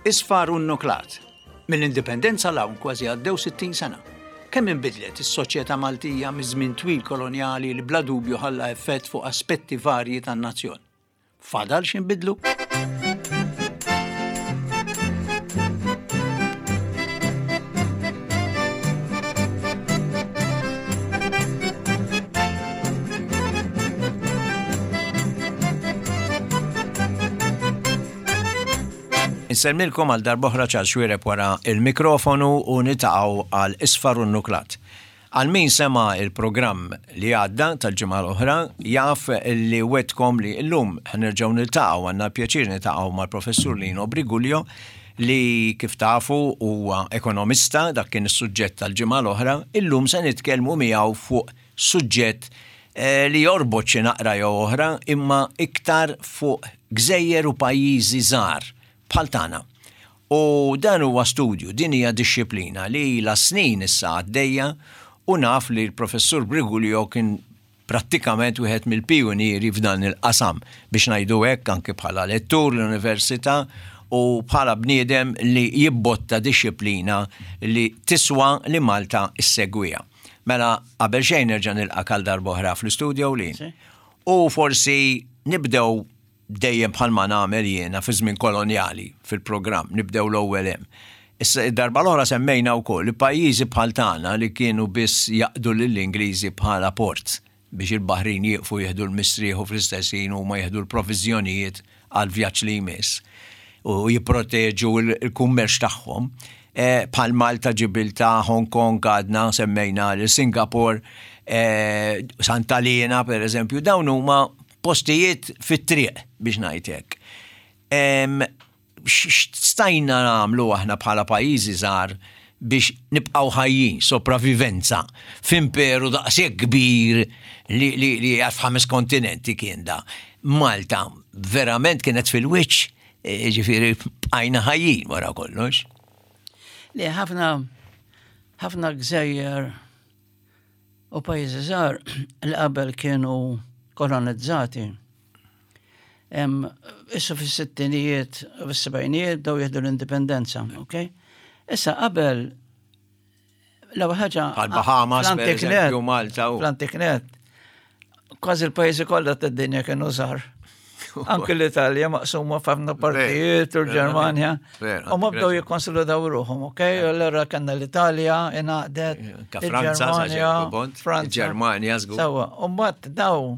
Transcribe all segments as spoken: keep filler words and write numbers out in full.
Isfar u nuklat. Mill-indipendenza 'l hawn kważi għaddew sittin sena. Kemm inbidlet is-soċjetà Maltija miż-żmien twil kolonjali li bla dubju ħalla effett fuq aspetti varji tan-nazzjon. Fadal x'inbidlu? Insellmilkom għal darb'oħra Charles Xuereb wara il-mikrofonu u nitaqgħu għal Isfar u Nuklat. Għal min sema il-programm li għadda tal-ġimgħa l-oħra jaf li wetkom li llum ħanerġgħu niltaqgħu, għandna pjaċir niltaqgħu mal-professur Lino Briguglio li kif tafu huwa ekonomista, dak kien is-suġġett tal-ġimgħa l-oħra, illum se nitkellmu miegħu fuq suġġett eh, li jorbot xi naqra jew oħra imma iktar fuq gżejjer u pajjiżi żgħar bħal tagħna. U dan huwa studju, din hija dixxiplina li ilha snin issa għaddejja u naf li l-professur Briguglio kien prattikament wieħed mill-pijunieri f'dan il-qasam biex ngħidu hekk anke bħala lettur l-università u bħala bniedem li jibbotta dixxiplina li tiswa li Malta issegwiha. Mela qabel xejn nerġa' nilqak għal darb'oħra fl-istudio li. U forsi nibdew dejjem bħalma nagħmel jiena fi żmien kolonjali fil-programm, nibdew l-ewwel hemm. Issa id-darba l-oħra semmejna wkoll li pajjiżi bħal tagħna li kienu biss jaqdu lill-Ingliżi bħala port biex il-baħrin jieqfu jieħdu l-mistrieħ u fl-istess ħin huma jieħdu l-proviżjonijiet għal vjaġġ li jmiss u jipproteġu l-kummerċ tagħhom. Eh, bħal Malta, Ġibiltà, Hong Kong għadna semmejna l Singapore, eh, Santa Elena per eżempju, dawn huma postijiet fit-triq biex ngħid hekk. X'stajna nagħmlu aħna bħala pajjiżi żgħar biex nibqgħu ħajjin, sopravivenza f'imperu daqshekk kbir li li li f'ħames kontinenti kien da. Malta verament kienet fil-wiċċ, e, ġifieri bqajna ħajjin wara kollox. Li ħafna ħafna gżejjer u pajjiżi żgħar li qabel kienu kolonizzati. Issa fis-sittinijiet u fis-sebgħinijiet bdew jieħdu l-indipendenza, ok? Issa qabel l-ewwel ħaġa Bħal Bahamas, per eżempju, Malta u. Fl-antiknet, kważi l-pajjiżi kollha tad-dinja kienu żgħar. Anke l-Italja maqsuma f'ħafna partijiet u l-Ġermanja. U ma bdew jikkonsolidaw ruħhom, ok? Allura kellna l-Italja ingħaqdet, il-Ġermanja, Franza. Ġermanja żgur. Sewwa, u mbagħad daw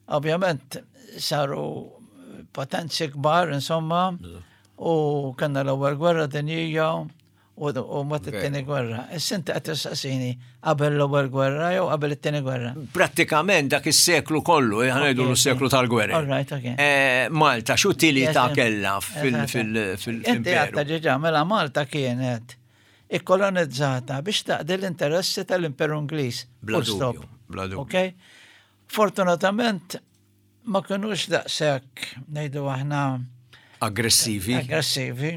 ovvjament saru potenzi kbar, insomma, u kellna l-ewwel gwerra dinjija u mbagħad it-tieni gwerra. Issa inti qed tistaqsini qabel l-ewwel gwerra jew qabel it-tieni gwerra? Prattikament dak is-seklu kollu, ħa ngħidu l-seklu tal-gwerra. All right, okay. Eh, Malta x'utilità kellha fil-imperu? Inti għadta ġiġa, mela Malta kienet ikkolonizzata biex taqdi l-interessi tal-Imperu Ingliż. Bla dubju, bla dubju. Okay? Fortunatament ma kinux daqshekk ngħidu aħna aggressivi. Aggressivi.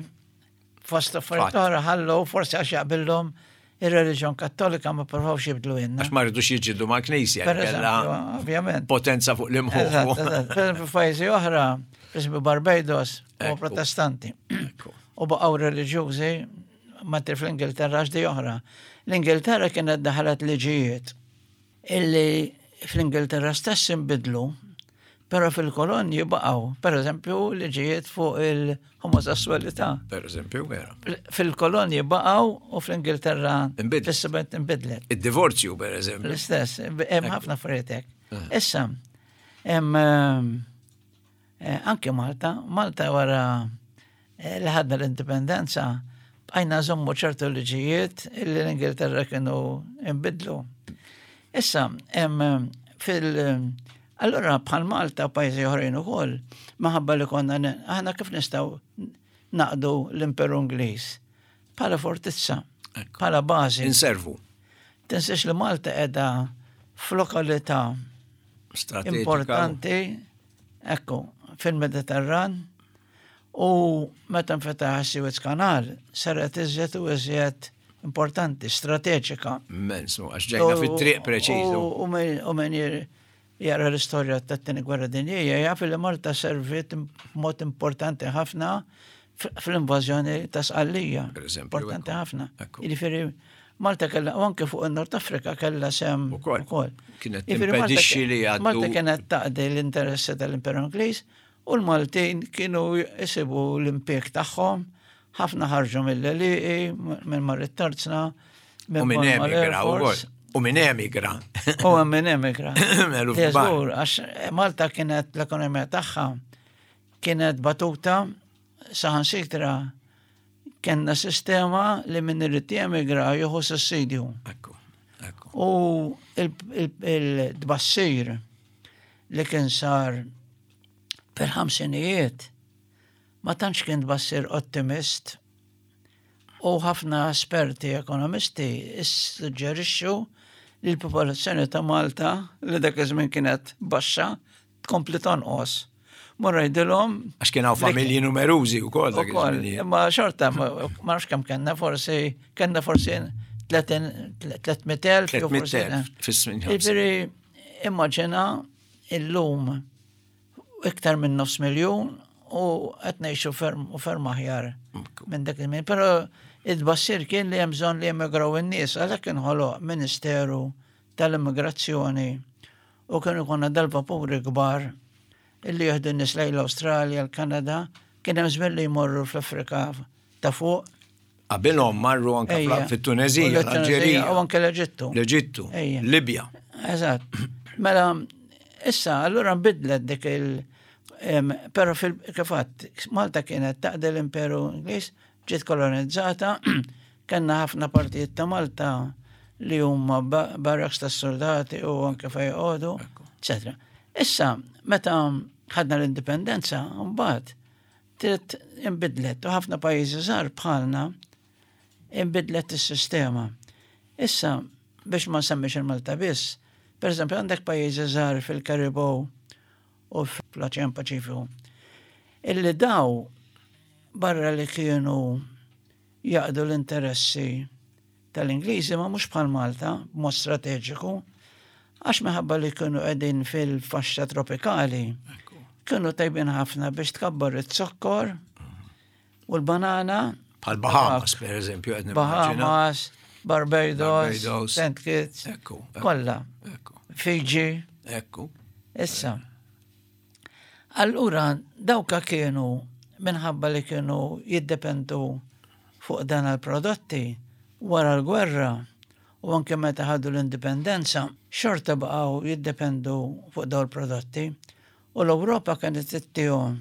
Fost affarijiet oħra ħallu forsi għax jaqbillhom ir-reliġjon Kattolika ma provawx jibdlu jenna. Għax ma rridux jiġġieldu mal-Knisja. Per eżempju, ovvjament. Potenza fuq l-imħuħ. Per eżempju, f'pajjiżi oħra, per eżempju Barbados, u protestanti. U baqgħu reliġjużi, ma fl-Ingilterra għax di oħra. L-Ingilterra kienet daħlet liġijiet illi fl-Ingilterra stess inbidlu, pero fil-kolonji baqgħu, per eżempju, liġijiet fuq il-omosessualità. Per eżempju, vera. Fil-kolonji baqgħu u fl-Ingilterra fis-sebgħin inbidlet. Id-divorzju, per eżempju. L-istess, hemm ħafna affarijiet hekk. Issa, hemm anke Malta, Malta wara li ħadna l-indipendenza, bqajna nżommu ċertu liġijiet illi l-Ingilterra kienu inbidlu. Issa, hemm fil- Allora bħal Malta u pajjiżi oħrajn ukoll, maħabba li konna aħna kif nistgħu naqdu l-Imperu Ingliż? Bħala fortizza, bħala bażi. Inservu. Tinsiex li Malta qiegħda f'lokalità importanti, ekku, fil-Mediterran, u meta nfetaħ Suez Canal, saret iżjed u iżjed importanti, strateġika. Immens, għax ġejna fit-triq preċiżu. U min jara l-istorja tat-tieni gwerra dinjija, jaf li Malta serviet mod importanti ħafna Fl-invażjoni ta' Sqallija. Per eżempju, Importanti ekku. ħafna. Ekku. Jiġifieri Malta kella, u anke fuq il-Nord Afrika kella sehem Ukoll. ukoll. Kienet Jiġifieri Malta timpedixxi li jgħaddu- Malta kienet taqdi l-interessi tal-Imperu Ingliż u l-Maltin kienu jisibu l-impjeg tagħhom, ħafna ħarġu mill-għelieqi, minn mar it-tarzna, U minn emigra ukoll. U minn emigra. U minn emigra. Eluf kbar. Żgur, għax Malta kienet l-ekonomija tagħha kienet batuta saħansitra kellna sistema li min irid jemigra jieħu sussidju. Ekku, ekku. U il-tbassir li kien sar fil-ħamsinijiet ma tantx kien tbassir ottimist u ħafna esperti ekonomisti issuġġerixxu li l-popolazzjoni ta' Malta li dak iż-żmien kienet baxxa tkompli tonqos. Morra jgħidilhom Għax kien hawn familji numerużi wkoll dak ukoll, iż-żminijiet. imma xorta ma ma nafx kemm kellna forsi kellna forsi tliet mitt elf jew forsi- tliet mitt elf fis-snin Jiġifieri immaġina illum iktar minn nofs miljun u qed ngħixu ferm u ferm aħjar minn dak il-min. Però it-tbassir kien li hemm bżonn li jemigraw in-nies, għalhekk inħoloq Ministeru tal-Immigrazzjoni u kienu jkollna dal-vapuri kbar illi jieħdu n-nies lejn l-Awstralja, l-Kanada, kien hemm żmien li jmorru fl-Afrika ta' fuq. Qabilhom marru anke Ejja. fit-Tunezija, U l-Tunezija, l-Alġerija, U anke l-Eġittu. l-Eġittu, Ejja. Libja. Eżatt. Mela, issa, allura nbidlet dik il- em, Pero fil kifat, Malta kienet taqdi l-Imperu Ingliż, ġiet kolonizzata, kellna ħafna partijiet ta' Malta li huma ba- barracks tas soldati u anke fejn joqogħdu, eccetera. Issa, meta ħadna l-indipendenza, mbagħad trid inbidlet u ħafna pajjiżi żgħar bħalna inbidlet is-sistema. Issa, biex ma nsemmix il-Malta biss, per eżempju, għandek pajjiżi żgħar fil-Karibew u fl-Oċean Paċifiku, illi daw barra li kienu jaqdu l-interessi tal-Ingliżi ma mhux bħal Malta b'mod strateġiku, għax minħabba li kienu qegħdin fil-faxxa tropikali, kienu tajbin ħafna biex tkabbar it-zokkor u l-banana. Bħal Bahamas, per eżempju, qed nimmaġina. Bahamas, Barbados, Barbados. Saint Kitts, Ekku, ekku. kollha, Ekku, Fiji, ekku. issa. Allura, dawka kienu minħabba li kienu jiddependu fuq dan il-prodotti wara l-gwerra u anke meta ħadu l-indipendenza, xorta baqgħu jiddependu fuq dawn il-prodotti u l-Ewropa kienet ittihom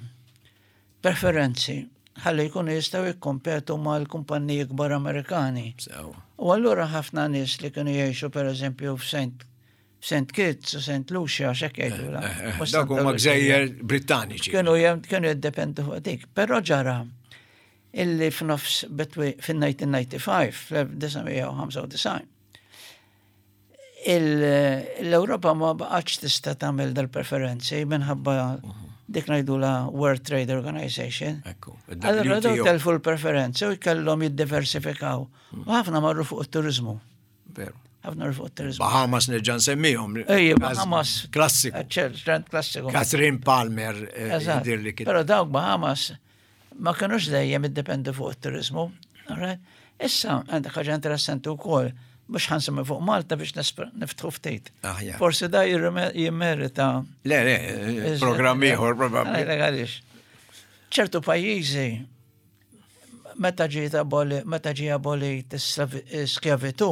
preferenzi ħalli jkunu jistgħu jikkompetu mal-kumpanniji kbar Amerikani. Sew. U allura ħafna nies li kienu jgħixu per eżempju f'Saint Saint Kitts u Saint Lucia, xek jgħidu la. Eh, Mhux Dawk Santa huma Lucia. gżejjer Brittaniċi. Kienu jem- kienu jiddependu fuq dik. Però ġara illi f'nofs betwi fin-elf disa' mija ħamsa u disgħin, fl-elf disa' mija ħamsa u disgħin, l-Ewropa ma baqgħetx tista' tagħmel dal-preferenzi minħabba dik ngħidula World Trade Organization. Ekku. Allora daw W T O. telfu l-preferenzi u jkellhom jiddiversifikaw. U ħafna marru fuq it-turizmu. Veru. Ħafna marru fuq it-turizmu. Bahamas nerġa' nsemmihom. Ejja, Każ Bahamas. Klassiku. Ċert, klassiku. Catherine Palmer eh, Eżatt. jidir li kien. Però dawk Bahamas ma kienux dejjem iddependu fuq it-turizmu. Alright? Issa għandek ħaġa interessanti wkoll mhux ħa nsemmi fuq Malta biex nispr- niftħu ftit. Aħjar. Forsi da jirrime- jimmerita. Le, le, eh, programm ieħor probabbli. Għalek għaliex. ċertu pajjiżi meta ġiet aboli, meta ġie abolit is-skjavitu,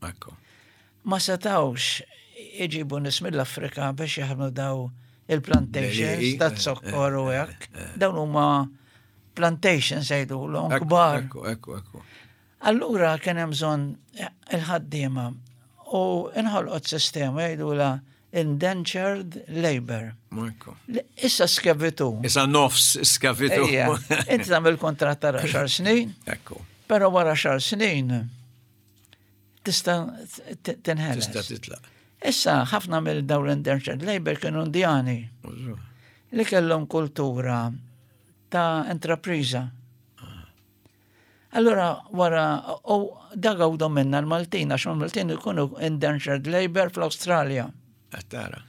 Ekku. ma setawx iġibu nies mill-Afrika biex jaħdmu daw il-plantations L-għelieqi, ta' eh, zokkor u hekk. Dawn huma plantations jgħidulhom Ekku, kbar. Ekku, ekku, ekku. Allura kien hemm bżonn il-ħaddiema u inħolqot sistema jgħidulha indentured labor. Ekku. Li- Issa skjavitu. Issa nofs skjavitu. Ejja, inti tagħmel kontratt ta' għaxar snin, Ekku. però wara għaxar snin tista' t- tinħeles. Tista' titlaq. Issa ħafna mill dawn l-indentured labor kienu Indjani li kellhom kultura ta' intrapriża. Allura wara u da gawdu minna l-Maltin għax l-Maltin ikunu indentured labor fl-Awstralja. Qed tara.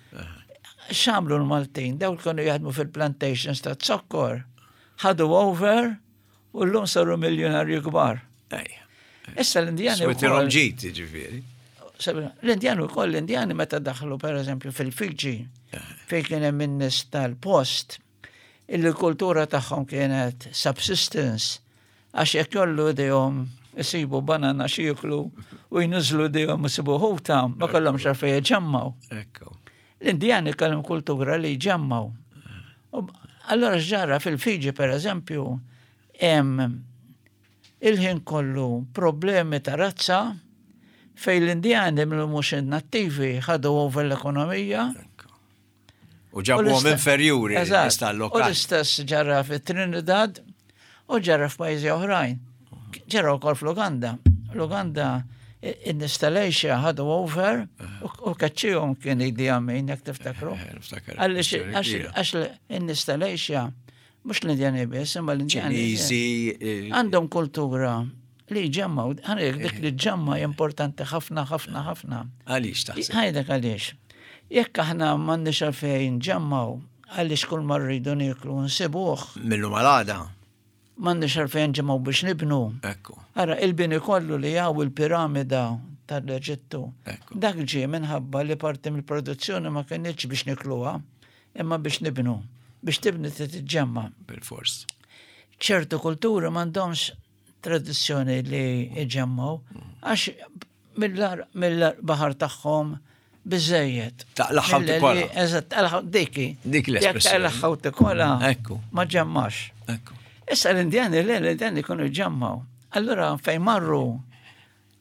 X'għamlu l-Maltin? Daw kienu jaħdmu fil-plantations ta' zokkor. Ħadu over U llum saru miljonarju kbar. Issa l-Indjani. Switilhom ġid, ġifieri. L-Indjani wkoll, l-Indjani meta daħlu pereżempju fil-Fiji, fejn kien hemm in-nies tal-post, illi kultura tagħhom kienet subsistence, għax jekk jgħollu idejhom isibu banana x'jieklu u jniżżlu idejhom isibu ħuta, ma kellhomx għalfejn jġemmgħu. L-Indjani kellhom kultura li jġemmgħu. Allora ġara fil-Fiji, per eżempju, hemm il-ħin kollu problemi ta' razza fejn l-Indjani mill mhux nattivi ħadu over l-ekonomija. U ġabuhom inferjuri. U l-istess ġara fi Trinidad u ġara f'pajjiżi oħrajn. Ġara wkoll fl-Uganda. L-Uganda in-nies tal-Asia ħadu over u kaċċihom kien Idi Amin, jekk tiftakru. Eh, Għax in-nies tal-Asia, mhux l-Indjani biss, imma l-Indjani. Eh, għandhom kultura li jġemmgħu, għandek dik li ġemma importanti ħafna, ħafna, ħafna. Għaliex taħseb? Ħa ngħidlek għaliex. Jekk aħna m'għandniex għalfejn nġemmgħu, għaliex kull ma rridu nieklu nsibuh. Mil-lum għal għada. M'għandniex għalfejn nġemmgħu biex nibnu. Ekku. Ara, il-bini kollu li hawn il-piramida tal-Eġittu. Dak ġie minħabba li parti mill-produzzjoni ma kienx biex nikluha, imma biex nibnu. Biex tibni tiġġemma. Bil-fors. Ċertu kulturi m'għandhomx tradizzjoni li iġemmgħu, għax mill-baħar tagħhom biżejjed. Taqlagħha u tikolha. Eżatt, taqlagħha diki. Dik l-espressjoni. Taqlagħha u tikolha. Ekku. Ma ġġemmax. Ekku. Issa l-Indjani, le, l-Indjani kienu jġemmgħu. Allura fejn marru.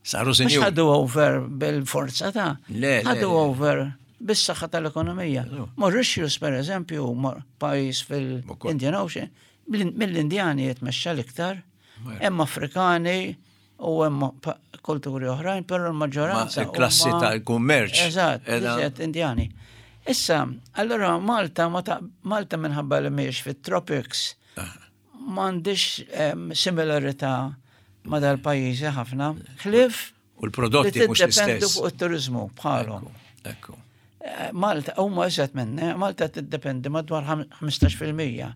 Saru sinjur. Ħadu over bil-forza ta' Le, ħadu over bis-saħħa tal-ekonomija. Mauritius, per eżempju, pajjiż fil-Indian Ocean, mill-Indjani jitmexxa l-iktar, hemm Afrikani u hemm kulturi oħrajn, però l-maġġoranza. Klassi tal-kummerċ. Eżatt, eżatt, Indjani. Issa, allora Malta, Malta minħabba li mhijiex fit-tropics, m'għandix similarità ma dal-pajjiżi ħafna. Ħlief U l-prodotti mhux l-istess. fuq it-turizmu bħalhom. Ekku. Eh, Malta, huma iżjed minna, Malta tiddependi madwar ħmistax fil-mija.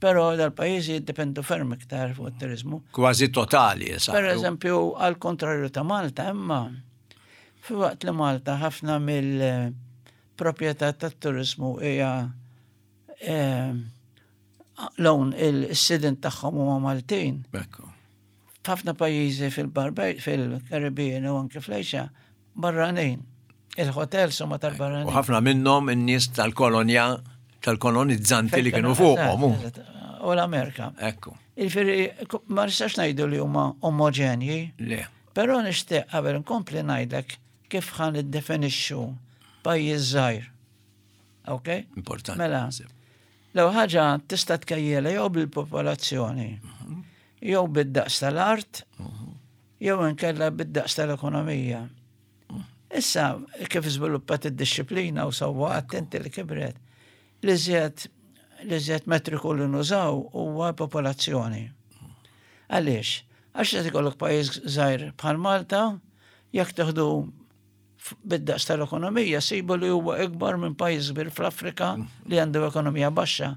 Però dal-pajjiżi jiddependu ferm iktar fuq it-turizmu. Kważi totali, sa. Per eżempju, għal kontrarju ta' Malta, imma fi waqt li Malta ħafna mill-proprjetà tat-turizmu hija eh, l-own il-sidin tagħhom huma Maltin. Ekku. F'ħafna pajjiżi fil-Barbej, fil-Karibien u anke fl-Asia, barranin. Il-hotels huma tal-barranin. U ħafna minnhom in-nies tal-kolonja, tal-kolonizzanti li kienu fuqhom. U l-Amerika. Ekku. Il-firri, ma nistax ngħidu li huma omogenji. Le. Però nixtieq qabel nkompli ngħidlek kif ħa niddefinixxu pajjiż żgħir. Ok? Importanti. Mela, l-ewwel ħaġa tista' tkejjela jew bil-popolazzjoni, jew bid-daqs tal-art, jew inkella bid-daqs tal-ekonomija. Issa, kif żviluppat id-disciplina u sewwa attenti li kibret, li żjed li żjed metriku li nużaw huwa popolazzjoni. Għaliex? Għax qed ikollok pajjiż żgħir bħal Malta, jekk teħdu bid-daqs tal-ekonomija, sibu li huwa ikbar minn pajjiż kbir fl-Afrika li għandu ekonomija baxxa.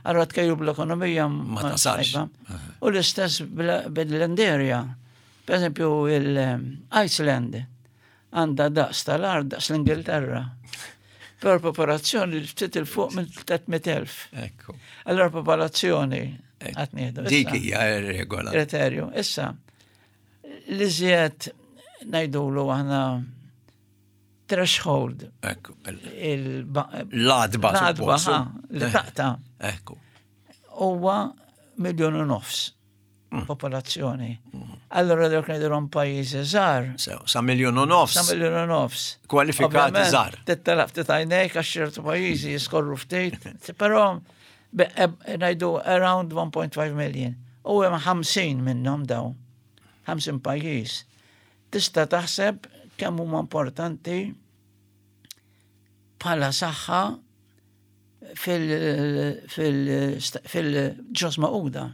Allora tkejlu bl-ekonomija ma tasalx. U l-istess bil-land area. Per eżempju, il-Iceland għandha daqs tal-art daqs l-Ingilterra. Per popolazzjoni ftit 'il fuq minn tliet mitt elf. Ekku. Allora popolazzjoni qed nieħdu. Dik hija regola. Kriterju. Issa, li żjed ngħidulu aħna threshold. Ekku. L-għatba. L-għatba, li taqta'. Ekku. Huwa miljon u nofs mm. popolazzjoni. Allora dawk ngħidulhom pajjiżi żgħar. Sa miljon u nofs. Sa miljon u nofs. Kwalifikati żgħar. Tittelaq ftit għajnejk għax ċertu pajjiżi jiskorru ftit, però ngħidu around one point five million. U hemm ħamsin minnhom daw. ħamsin pajjiż. Tista' taħseb kemm huma importanti bħala saħħa fil-Ġnus Magħquda.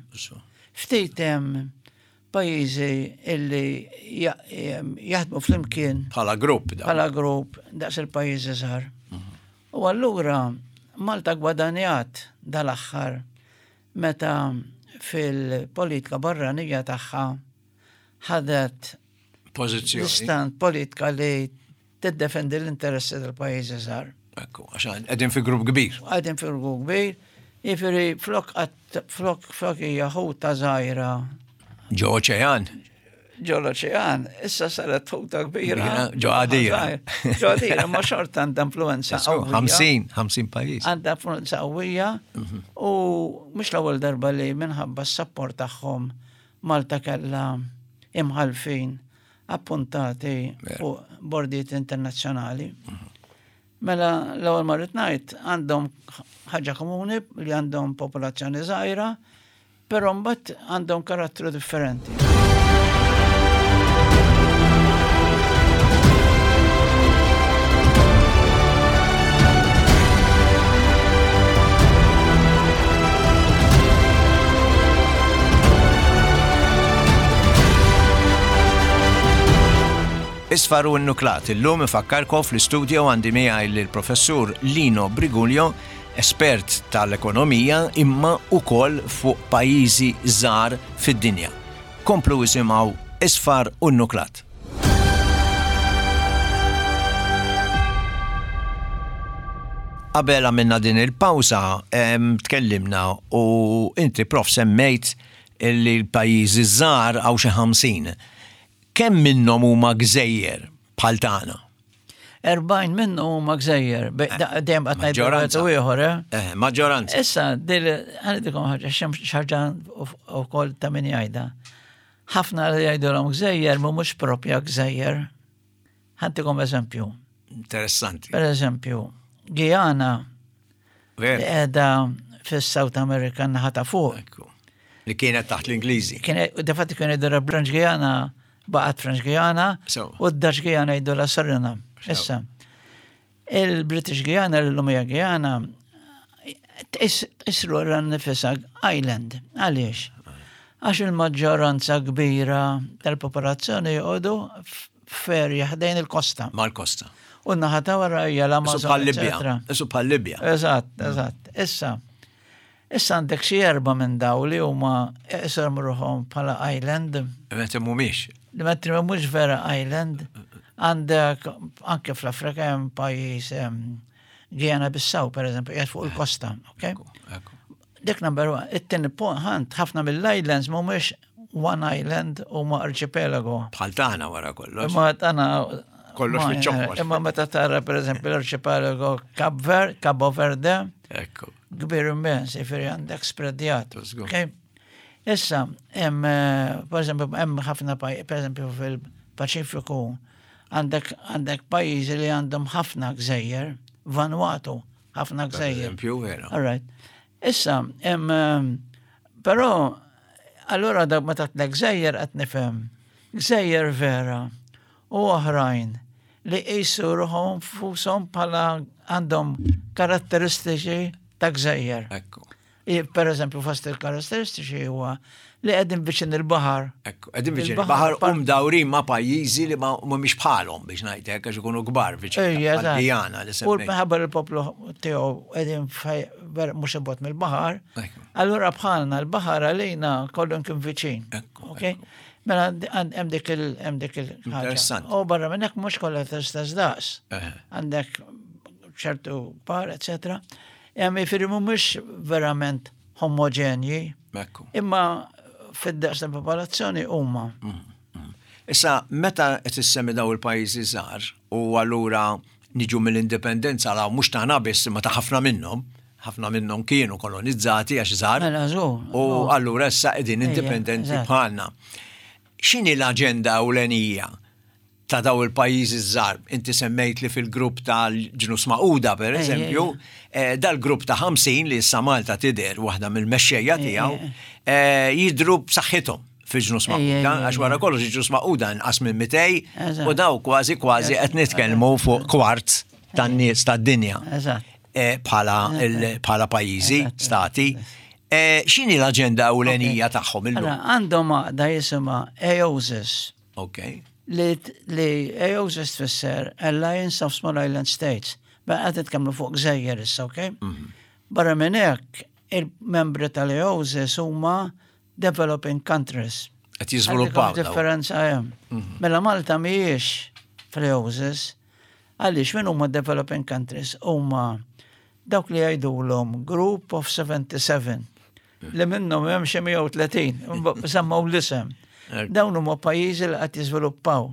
Ftit hemm pajjiżi illi jaħdmu flimkien. Bħala grupp. Bħala grupp daqs il-pajjiżi żgħar. Mhm. U allura Malta gwadanjat dal-aħħar meta fil-politika barranija tagħha ħadet Pożizzjoni. L-istant politika li tiddefendi l-interessi tal-pajjiżi żgħar. Ekku, għax qegħdin fi grupp kbir. Qegħdin fi grupp kbir, jiġifieri flok flok flok hija ħuta żgħira. Ġo oċean. Ġo l-oċean, issa saret ħuta kbira. Ġo għadira. Ġo għadira, ma xorta għandha influenza qawwija. ħamsin, ħamsin pajjiż. Għandha influenza qawwija mhm. u mhux l-ewwel darba li minħabba s-sapport tagħhom Malta kellha imħalfin appuntati fuq bordijiet internazzjonali. Mhm. Mela l-ewwel ma rrid ngħid għandhom ħaġa komuni li għandhom popolazzjoni żgħira, però mbagħad għandhom karattru differenti. Isfar u n-nuklat, illum ifakkarkom fl-istudio għandi miegħi lill-professur Lino Briguglio, espert tal-ekonomija imma ukoll fuq pajjiżi żgħar fid-dinja. Komplu isimgħu Isfar u n-nuklat. Qabel għamilna din il-pawża tkellimna u inti prof semmejt li l-pajjiżi żgħar hawn xi ħamsin. Kemm minnhom huma gżejjer bħal tagħna? Erbgħin minnhom huma gżejjer, dejjem qed ngħidu wieħed u ieħor, eh? Eh, maġġoranza. Issa, ħanidikom ħaġa, xi ħaġa wkoll ta' min jgħidha. Ħafna li jgħidulhom gżejjer mhumiex propja gżejjer. Ħantikom eżempju. Interessanti. Per eżempju, Guyana li qiegħda fis-South America naħa ta' fuq. Li kienet taħt l-Ingliżi. Kienet, defatti kien jgħidu French Guyana, baqgħet French Guyana, u d-Dutch Guyana jgħidu la Suriname. Issa, il-British Guyana, l-lum hija Guyana, tqisru nifisha island. Għaliex? Għax il-maġġoranza kbira tal-popolazzjoni joqogħdu f'erja ħdejn il-kosta. Mal-kosta. U naħa ta' wara hija l-Amazon. Isu Isu bħal Libja. Eżatt, eżatt. Issa, issa għandek xi erba' minn daw li huma iqishom ruħhom bħala island. Meta mhumiex. Li meta mhux vera island. Għandek anke fl-Afrika hemm pajjiż Guyana Bissau, per eżempju, qiegħed fuq il-kosta, ok? Dik number one. It-tieni punt, ħafna mill-islands mhumiex one island huma arċipelago. Bħal tagħna wara kollox. Imma tagħna kollox fiċ-ċokkol. Imma meta tara per eżempju l-arċipelago Cape Verde, Cabo Verde, Ekku. Kbir immens, jiġifieri għandek spreadjat. Okay? Issa, hemm per eżempju, hemm ħafna per eżempju fil-Paċifiku għandek għandek pajjiżi li għandhom ħafna gżejjer, Vanuatu, ħafna gżejjer. Eżempju, vera. All right. Issa, hemm però allura dak meta tlek gżejjer qed nifhem. Gżejjer vera u oħrajn li qisu ruħhom fushom bħala għandhom karatteristiċi ta' gżejjer. Ekku. Per eżempju, fost il-karatteristiċi huwa li qegħdin viċin il-baħar. Ekku, qegħdin viċin il-baħar u mdawrin ma' pajjiżi li ma mhumiex bħalhom biex ngħid hekk għax ikunu kbar viċin. Għana li U minħabba l-poplu tiegħu qegħdin mhux ibot mill-baħar. Allura bħalna l-baħar għalina kollu kien viċin. Ekku. Mela hemm dik il hemm dik il Interessanti. U barra minn hekk mhux kollha tistess daqs. Għandek ċertu par, eċetera. Hemm jiġifieri mhumiex verament homogenji. Imma fid-daqs tal-popolazzjoni huma. Issa, meta qed issemmi daw il-pajjiżi żgħar u allura niġu mill-indipendenza la mhux tagħna biss imma ta' ħafna minnhom, ħafna minnhom kienu kolonizzati għax żgħar. Mela żgur. U allura issa qegħdin indipendenti bħalna. X'inhi l-aġenda ewlenija ta' daw il-pajjiżi żgħar? Inti semmejt li fil-grupp tal-Ġnus Magħquda, per eżempju, dal-grupp ta' ħamsin li issa Malta tidher waħda mill-mexxejja tiegħu, jidhru b'saħħithom fil-Ġnus Magħquda, għax wara kollox il-Ġnus Magħquda inqas minn mitej u daw kważi kważi qed nitkellmu fuq kwart tan-nies tad-dinja. Bħala pajjiżi, stati. X'inhi l-aġenda ewlenija tagħhom illum? Għandhom għaqda jisimha AOSIS. Ok. Li AOSIS tfisser Alliance of Small Island States. Ba qed nitkellmu fuq gżejjer issa, ok? Barra minn hekk, il-membri tal-AOSIS huma developing countries. Qed jiżviluppaw. Differenza hemm. Mhm. Mela Malta mhijiex fl-E O S I S, għaliex min huma developing countries? Huma dawk li jgħidulhom Group of seventy-seven, li minnhom hemm xi mija u tletin, semmaw l-isem. Dawn huma pajjiżi li qed jiżviluppaw.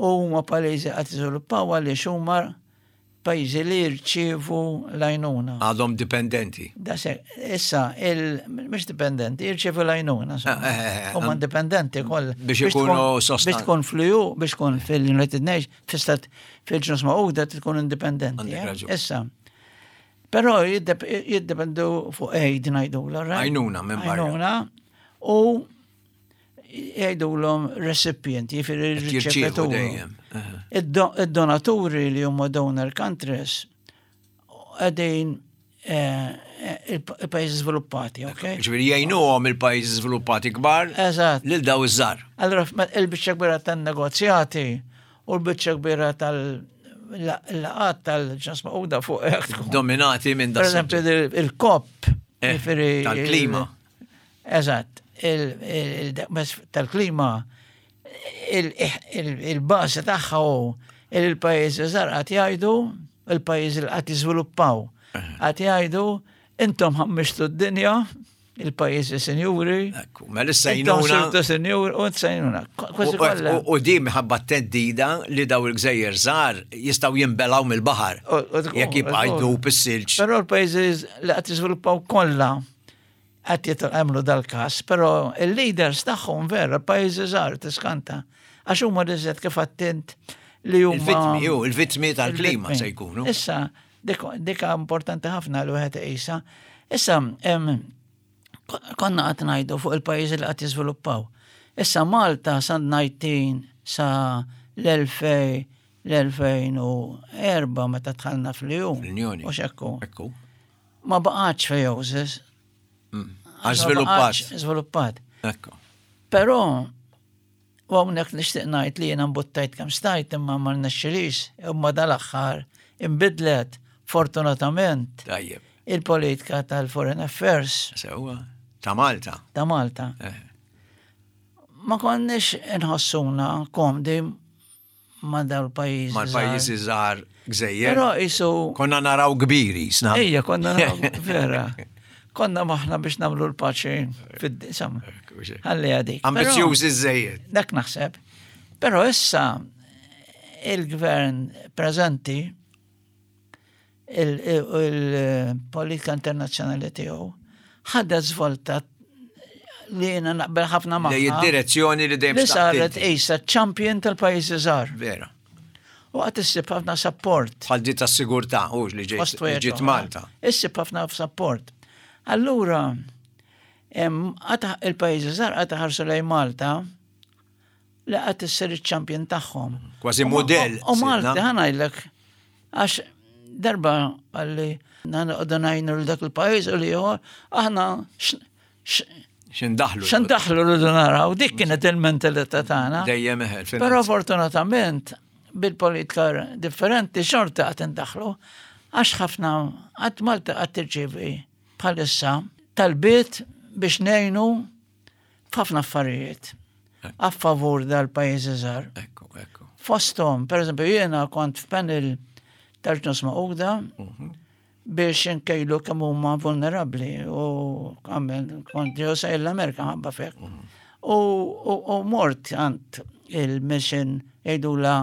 U huma pajjiżi qed jiżviluppaw għaliex huma pajjiżi li jirċievu l-għajnuna. Għadhom dipendenti. Issa, mhux dipendenti, jirċievu l-għajnuna. Eh, eh, eh, huma dipendenti koll. Biex ikunu sostan. Biex tkun fl-E U, biex tkun fil-United Nations, fil-Stat fil-Ġnus Magħquda tkun indipendenti. Issa, però jiddependu fuq aid, ngħidu. Għajnuna minn barra. Għajnuna u jgħidulhom recipient, jiġifieri riċevituri. Id-donaturi li huma donor countries qegħdin eh, il-pajjiżi żviluppati, ok? Ġifieri jgħinuhom il-pajjiżi żviluppati kbar. Eżatt. Lil daw iż-żgħar. Allora il-biċċa kbira tan-negozjati u l-biċċa kbira tal-laqgħat tal-Ġnus Magħquda fuq Dominati minn da. Per eżempju, il-COP. Eh, tal-klima. Eżatt, tal-klima, il-bażi tagħha hu il-pajjiżi żgħar qed jgħidu, il-pajjiżi li qed jiżviluppaw qed jgħidu: "Intom ħammiġtu d-dinja, il-pajjiżi sinjuri." Ekku, mela issa għinuna. Sirtu sinjuri u għinuna. U di minħabba theddida li daw il-gżejjer żgħar jistgħu jinbelgħu mill-baħar jekk jibqa' jdub is-silġ. Però l-pajjiżi li qed jiżviluppaw kollha qed jagħmlu dal-każ, però il-leaders tagħhom vera pajjiżi żgħar, tiskanta. Għax huma riżet kif attint li huma. Il-vittmi, il-vittmi tal-klima se jkunu. Issa, dika importanti ħafna li wieħed iqisha. Issa, konna qed ngħidu fuq il-pajjiżi li qed jiżviluppaw. Issa Malta sa disa sa l-elfejn l-elfejn u erbgħa, meta dħalna fl-E U. L-Unjoni. U xekku. Ma baqgħatx fl-E O S I S. Mm. Għax żviluppat. Żviluppat. Però, u hawnhekk nixtieq ngħid li jiena mbuttajt kemm stajt imma ma rnexxilix, imma dal-aħħar imbidlet fortunatament Tajjeb. il-politika tal-Foreign Affairs. Sewwa. Ta' Malta. Ta' Malta. Eh. Ma konniex nħossuna komdi ma' daw l-pajjiżi. Ma' l-pajjiżi żgħar, gżejjer. Però isu. Konna naraw kbiri, sna. Ejja, konna naraw, vera. Konna maħna biex nagħmlu l-paċi fid-disam. Ħalli għadik. Ambizjużi żejjed. Dak naħseb. Però issa il-gvern preżenti, il-politika internazzjonali tiegħu ħadet żvolta li jiena naqbel ħafna magħha. Li id-direzzjoni li dejjem Li saret issa champion tal-pajjiżi żgħar. Vera. U qed issib ħafna support. Bħal di tas-sigurtà, u li ġiet Malta. Issib ħafna support. Allura, il-pajjiżi żgħar qed ħarsu lejn Malta li qed issir iċ-champion tagħhom. Kważi modell. U Malta, ħa ngħidlek, għax darba għalli għoddu ngħinu l dak il-pajjiż u li aħna X'indaħlu. X'indaħlu rridu naraw, dik kienet il-mentalità tagħna. Dejjem eħel. Però fortunatament bil-politika differenti xorta qed indaħlu, għax ħafna għad Malta qed tirċievi bħalissa talbiet biex ngħinu f'ħafna affarijiet a favur dal-pajjiżi żgħar. Ekku, ekku. Fosthom, per eżempju, jiena kont f'panel tal-Ġnus Magħquda mhm. biex nkejlu kemm huma vulnerabbli u għamel kont ġew l-Amerika ħabba fek. Mhm. U mort għand il-mission, jgħidula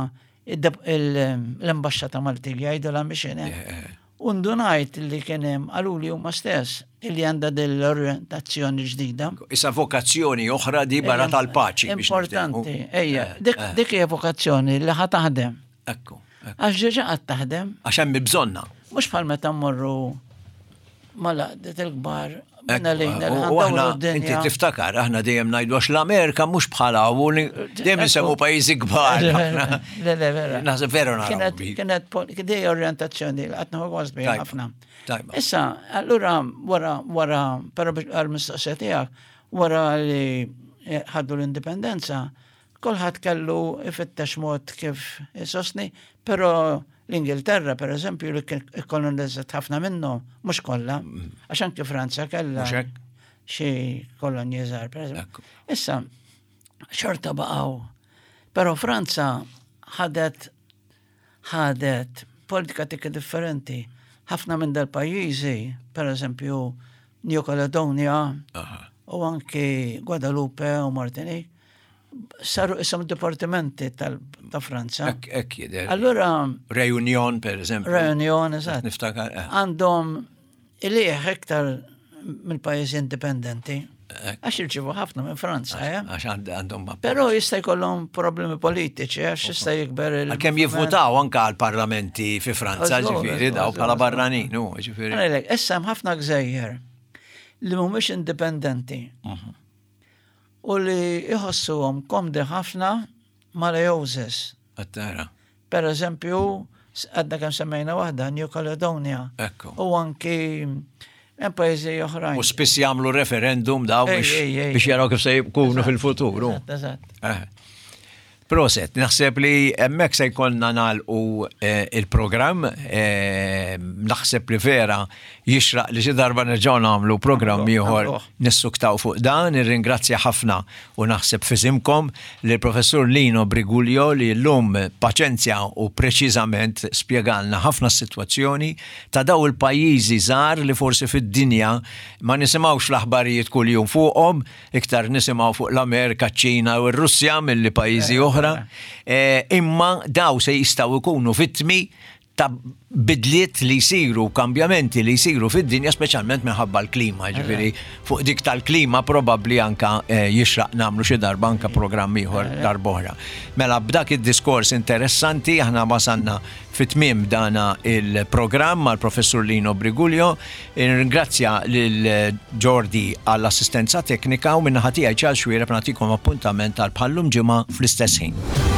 l-ambasċata Maltija, jgħidula mission. Eh. Eh, eh. Undunajt li kien hemm, qaluli huma stess, illi għandha dell-orientazzjoni ġdida. Issa vokazzjoni oħra di barra tal-paċi. Importanti, ejja, dik hija vokazzjoni li ħa taħdem. Ekku. Għax diġà qed taħdem. Għax hemm bżonna. Mhux bħal meta mmorru mal-għaqdiet il-kbar. U aħna, inti tiftakar, aħna dejjem ngħidu għax l-Amerika mhux bħala u dejjem insemmu pajjiżi kbar. Le, le, vera. Naħseb vera naraw. Kienet kienet orientazzjoni li qed nieħu gost biha ħafna. Issa, allura wara wara però għal-mistoqsija tiegħek, wara li ħaddu l-indipendenza, kulħadd kellu ifittex mod kif isostni, però l-Ingilterra, per eżempju, li kolonizzat ħafna minnhom, mhux kollha, mm. għax anke Franza kellha Xi kolonji żgħar, per eżempju. Issa, xorta baqgħu. Però Franza ħadet ħadet politika tikka differenti. Ħafna minn dal-pajjiżi, per eżempju, New Caledonia u anki Guadalupe u Martinique, saru isom dipartimenti ta' Franza. Ek jidher. Allura. Reunion, per eżempju. Reunion, eżatt. Niftakar. Eh. Għandhom ilieħ iktar mill-pajjiżi indipendenti. Għax jirċivu ħafna minn Franza, eh? Għax għandhom ma. Però jista' jkollhom problemi politiċi, għax jista' jikber il. Għalkemm jivvutaw anka għal-parlamenti fi Franza, ġifieri, daw bħala barranin, ġifieri. Issa hemm ħafna gżejjer li mhumiex indipendenti. Mhm. U li jħossuhom komdi ħafna mal-AOSIS. Għattara. Per eżempju, għadna kemm semmejna waħda, New Caledonia. Ekku. U anki hemm pajjiżi oħrajn. U spiss jagħmlu referendum daw biex jaraw kif se jkunu fil-futur. Eżatt. Eh. Proset, naħseb li hemmhekk se jkollna nagħlqu eh, il-programm, eh, naħseb li vera jixraq li xi darba nerġgħu nagħmlu programm ieħor nissuktaw fuq dan, nirringrazzja ħafna u naħseb f'isimkom li professur Lino Briguglio li llum paċenzja u preċiżament spjegalna ħafna s-sitwazzjoni ta' daw il-pajjiżi żgħar li forsi fid-dinja ma nisimgħux l-aħbarijiet kuljum fuqhom, iktar nisimgħu fuq l-Amerika, ċ-Ċina u r-Russja milli pajjiżi oħra. Eh, imma daw se jistgħu jkunu vittmi ta' bidliet li jsiru, kambjamenti li jsiru fid-dinja, speċjalment minħabba l-klima, ġifieri fuq dik tal-klima probabbli anka eh, jixraq nagħmlu xi darba anka programm ieħor darb'oħra. Mela b'dak id-diskors interessanti aħna wasalna fit-tmiem dana il-programm mal-professur Lino Briguglio. Ringrazzja lil Jordi għall-assistenza teknika u min-naħa tiegħi Charles Xuereb nagħtikom appuntament għal bħal-lum ġimgħa fl-istess ħin.